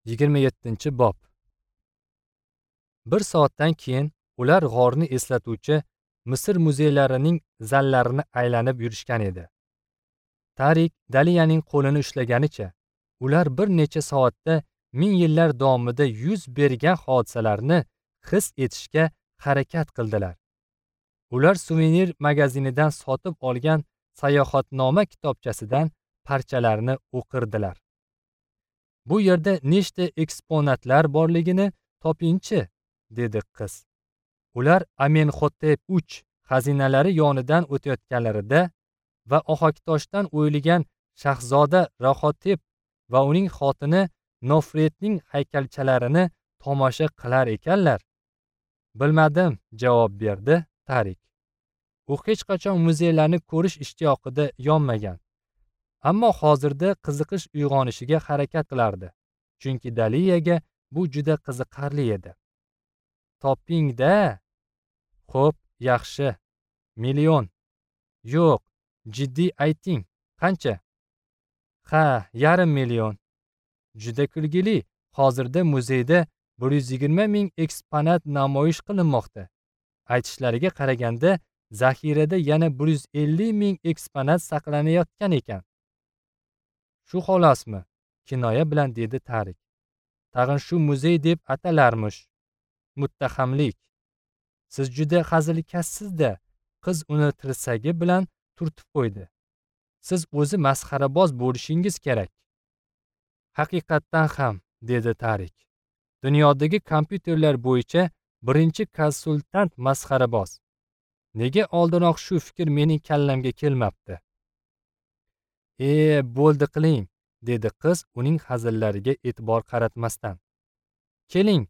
27-bob. Bir soatdan keyin ular g'orni eslatuvchi Misr muzeylarining zallarini aylanib yurishgan edi. Tarik Daliyaning qo'lini ushlaganicha ular bir necha soatda ming yillar davomida yuz bergan hodisalarni his etishga harakat qildilar. Ular suvenir magazinidan sotib olgan sayohatnoma kitobchasidan parchalarni o'qirdilar. Bu yerda nechta eksponatlar borligini topingchi, dedi qiz. Ular Amenhotep 3 xazinalari yonidan o'tayotganlarida va ohaktoshdan o'yilgan shahzoda Rahotep va uning xotini Nofretning haykalchalarini tomosha qilar ekanlar. Bilmadim, javob berdi Tarik. U hech qachon muzeylarni ko'rish ishtiyoqida yonmagan. Ammo hozirda qiziqish uyg'onishiga harakat qilardi. Chunki Daliyaga bu juda qiziqarli edi. Toping-da. Xo'p, yaxshi. Million. Yo'q, jiddiy ayting. Qancha? Ha, 0.5 million. Juda kulgili. Hozirda muzeyda 120 ming eksponat namoyish qilinmoqda. Aytishlariga qaraganda, zaxirada yana 150 ming eksponat saqlanayotgan ekan. Shu xolosmi? Kinoya bilan dedi Tarik. Tag'in shu muzey deb atalarmish. Muttahamlik. Siz juda hazilkashsiz-da. Qiz uni tirsagi bilan turtib qo'ydi. Siz o'zi masxaraboz bo'lishingiz kerak. Haqiqatdan ham, dedi Tarik. Dunyodagi kompyuterlar bo'yicha birinchi konsultant masxaraboz. Nega oldinroq shu fikr mening kallamga kelmabdi? Bo'ldi qiling, dedi qiz uning hazillariga e'tibor qaratmasdan. Keling,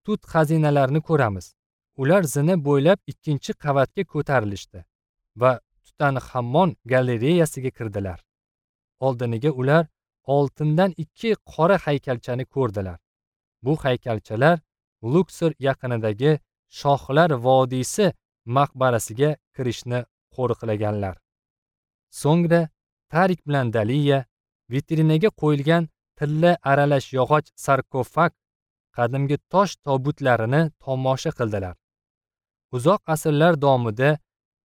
tut xazinalarini ko'ramiz. Ular zina bo'ylab ikkinchi qavatga ko'tarilishdi va Tutanxamon galereyasiga kirdilar. Oldiniga ular oltindan 2 qora haykalchani ko'rdilar. Bu haykalchalar Luksor yaqinidagi Shohlar vodiysi maqbarasiga kirishni qo'riqlaganlar. So'ngra Tarik bilan Daliya vitrinaga qo'yilgan tilla aralash yog'och sarkofag, qadimgi tosh tobutlarini tomosha qildilar. Uzoq asrlar davomida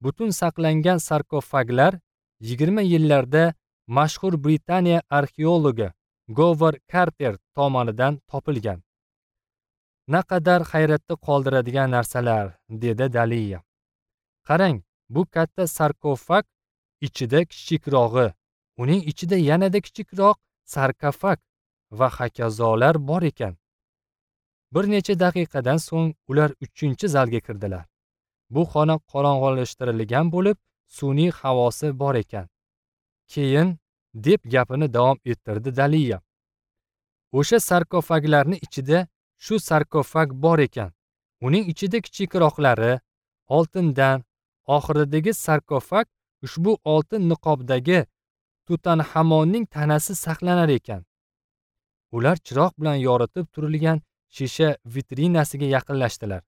butun saqlangan sarkofaglar 20 yillarda mashhur Britaniya arxeologi Govard Karter tomonidan topilgan. Naqadar hayratda qoldiradigan narsalar, dedi Daliya. Qarang, bu katta sarkofag ichida kichikrog'i, uning ichida yanada kichikroq sarkofag va hokazolar bor ekan. Bir necha daqiqadan so'ng ular 3-zalga kirdilar. Bu xona qorong'ilashtirilgan bo'lib, sun'iy havosi bor ekan. Keyin, deb gapini davom ettirdi Daliya. O'sha sarkofaglarning ichida shu sarkofag bor ekan. Uning ichida kichikroqlari oltindan, oxiridagi sarkofag ushbu oltin niqobdagi Tutanxamonning tanasi saqlanar ekan. Ular chiroq bilan yoritib turilgan shisha vitrinasiga yaqinlashdilar.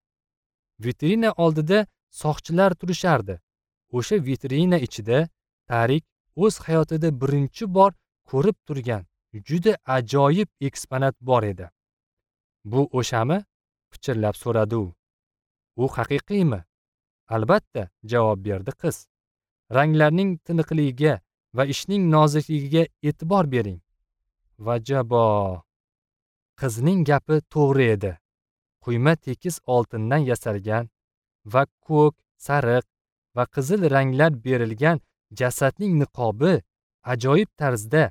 Vitrina oldida soqchilar turishardi. O'sha vitrina ichida Tarik o'z hayotida birinchi bor ko'rib turgan juda ajoyib eksponat bor edi. Bu o'shami? Pichirlab so'radi u. U haqiqiymi? Albatta, javob berdi qiz. Ranglarning tiniqligiga va ishning nozikligiga e'tibor bering. Vajabo. Qizning gapi to'g'ri edi. Quyma tekis oltindan yasalgan va ko'k, sariq va qizil ranglar berilgan jasadning niqobi ajoyib tarzda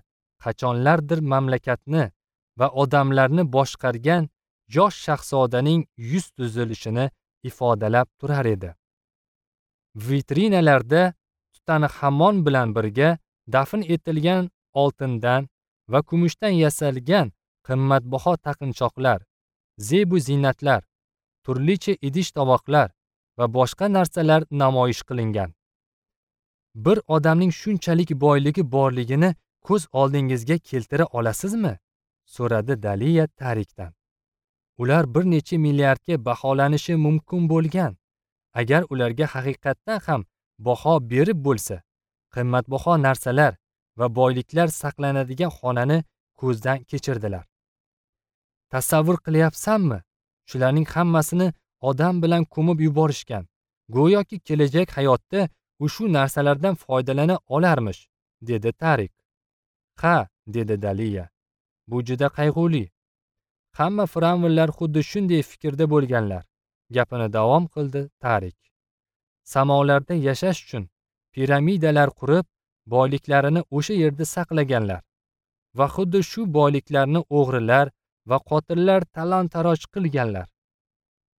qachonlardir mamlakatni va odamlarni boshqargan yosh shahzodaning yuz tuzilishini ifodalab turar edi. Vitrinalarda Tutanxamon bilan birga dafn etilgan oltindan va kumushdan yasalgan qimmatbaho taqinchoqlar, zebu ziynatlar, turlicha idish tovoqlar va boshqa narsalar namoyish qilingan. Bir odamning shunchalik boyligi borligini ko'z oldingizga keltira olasizmi? So'radi Daliya Tarikdan. Ular bir necha milliardga baholanishi mumkin bo'lgan. Agar ularga haqiqatdan ham baho berib bo'lsa, qimmatbaho narsalar va boyliklar saqlanadigan xonani ko'zdan kechirdilar. Tasavvur qilyapsanmi? Shularning hammasini odam bilan ko'mib yuborishgan. Go'yoki kelajak hayotda u shu narsalardan foydalana olarmish, dedi Tarik. Ha, dedi Daliya. Bu juda qayg'uli. Hamma fir'avnlar xuddi shunday fikrda bo'lganlar. Gapini davom qildi Tarik. Samolarda yashash uchun piramidalar qurib, boyliklarini o'sha yerda saqlaganlar. Va xuddi shu boyliklarni o'g'rilar va qotillar talon-taroj qilganlar.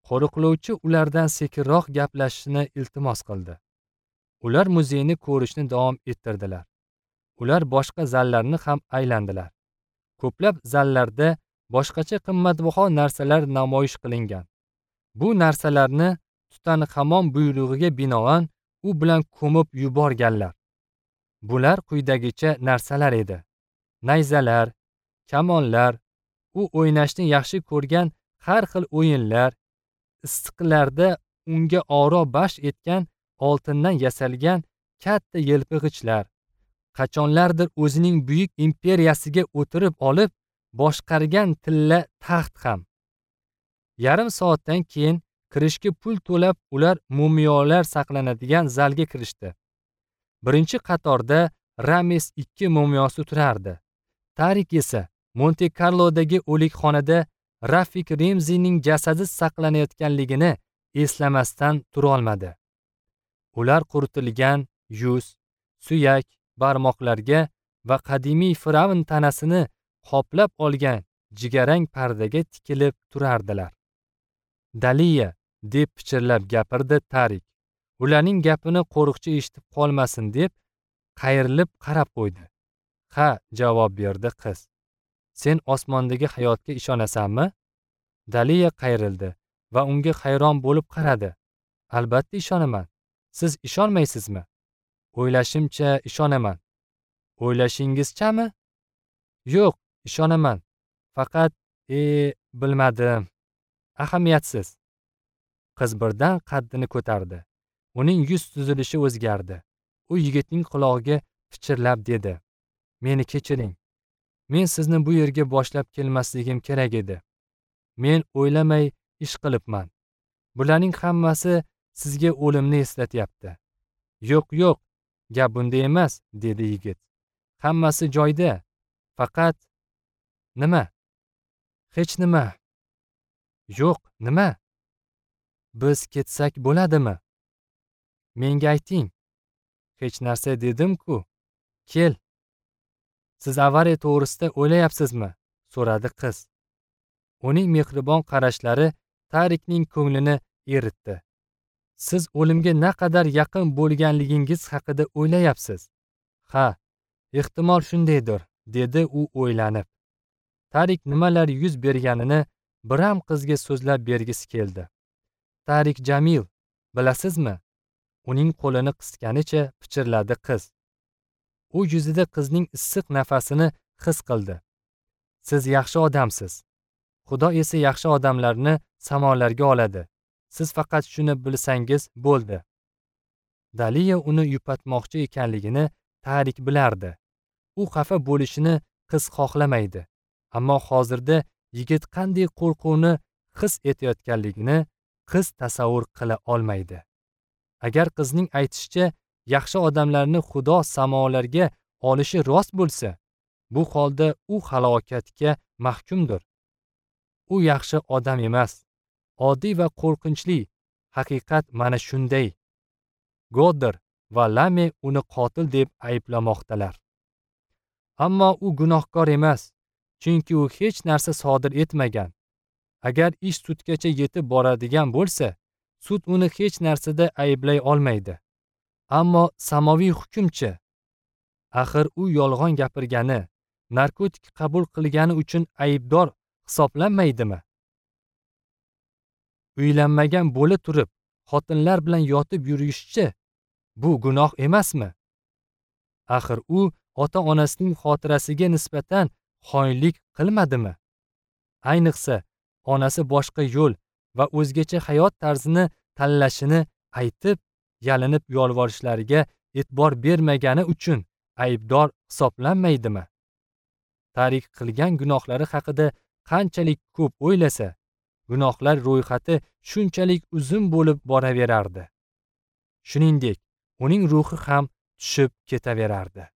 Qo'riqlovchi ulardan sekinroq gaplashishni iltimos qildi. Ular muzeyni ko'rishni davom ettirdilar. Ular boshqa zallarni ham aylandilar. Ko'plab zallarda boshqacha qimmatbaho narsalar namoyish qilingan. Bu narsalarni Tutanxamon buyrug'iga binoan u bilan ko'mib yuborganlar. Bular quyidagicha narsalar edi: nayzalar, kamonlar, u o'ynashni yaxshi ko'rgan har xil o'yinlar, issiqlarda unga oro bash etgan oltindan yasalgan katta yelpig'ichlar, qachonlardir o'zining buyuk imperiyasiga o'tirib olib boshqargan tilla taxt ham. Yarim soatdan keyin kirishga pul to'lab ular mumiyolar saqlanadigan zalga kirishdi. Birinchi qatorda Rames II mumiyosi turardi. Tarik esa Monte Carlodagi o'likxonada Rafik Remzining jasadi saqlanayotganligini eslamasdan turolmadi. Ular quritilgan yuz, suyak, barmoqlarga va qadimiy fir'avn tanasini qoplab olgan jigarrang pardaga tikilib turardilar. Daliya, deb pichirlab gapirdi Tarik. Ularning gapini qo'riqchi eshitib qolmasin deb qayrilib qarab qo'ydi. Ha, javob berdi qiz. Sen osmondagi hayotga ishonasanmi? Daliya qayrildi va unga hayron bo'lib qaradi. Albatta ishonaman. Siz ishonmaysizmi? O'ylashimcha ishonaman. O'ylashingizchami? Yo'q, ishonaman. Faqat bilmadim. Ahamiyatsiz. Qiz birdan qaddini ko'tardi. Uning yuz tuzilishi o'zgardi. U yigitning qulog'iga pichirlab dedi: Meni kechiring. Men sizni bu yerga boshlab kelmasligim kerak edi. Men o'ylamay ish qilibman. Bularning hammasi sizga o'limni eslatyapti. Yo'q, yo'q, gap bunda emas, dedi yigit. Hammasi joyida. Faqat nima? Hech nima. Yo'q, nima? Biz ketsak bo'ladimi? Menga ayting. Hech narsa dedim-ku. Kel. Siz avariya to'g'risida o'ylayapsizmi? So'radi qiz. Uning mehribon qarashlari Tarikning ko'nglini eritdi. Siz o'limga naqadar yaqin bo'lganligingiz haqida o'ylayapsiz. Ha, ehtimol shundaydir, dedi u o'ylanib. Tarik nimalar yuz berganini biram qizga so'zlab bergisi keldi. Tarik Jamil, bilasizmi? Uning qo'lini qisganicha pichirladi qiz. U yuzida qizning issiq nafasini his qildi. Siz yaxshi odamsiz. Xudo esa yaxshi odamlarni samolarga oladi. Siz faqat shuni bilsangiz bo'ldi. Daliya uni yupatmoqchi ekanligini Tarik bilardi. U xafa bo'lishini qiz xohlamaydi. Ammo hozirda yigit qanday qo'rquvni his etayotganligini qiz tasavvur qila olmaydi. Agar qizning aytishicha yaxshi odamlarni Xudo samolarga olishi rost bo'lsa, bu holda u halokatga mahkumdir. U yaxshi odam emas. Oddiy va qo'rqinchli haqiqat mana shunday. Godder va Lame uni qotil deb ayblamoqdalar. Ammo u gunohkor emas, chunki u hech narsa sodir etmagan. Agar ish sudgacha yetib boradigan bo'lsa, sud uni hech narsada ayblay olmaydi. Ammo samoviy hukmchi, axir u yolg'on gapirgani, narkotik qabul qilgani uchun aybdor hisoblanmaydimi? Uylanmagan bo'la turib, xotinlar bilan yotib yurishchi, bu gunoh emasmi? Axir u ota-onasining xotirasiga nisbatan xoinlik qilmadimi? Ayniqsa, onasi boshqa yo'l va o'zgacha hayot tarzini tanlashini aytib, yalinib yolvorishlariga e'tibor bermagani uchun aybdor hisoblanmaydimi? Tarik qilgan gunohlari haqida qanchalik ko'p o'ylasa, gunohlar ro'yxati shunchalik uzun bo'lib boraverardi. Shuningdek, uning ruhi ham tushib ketaverardi.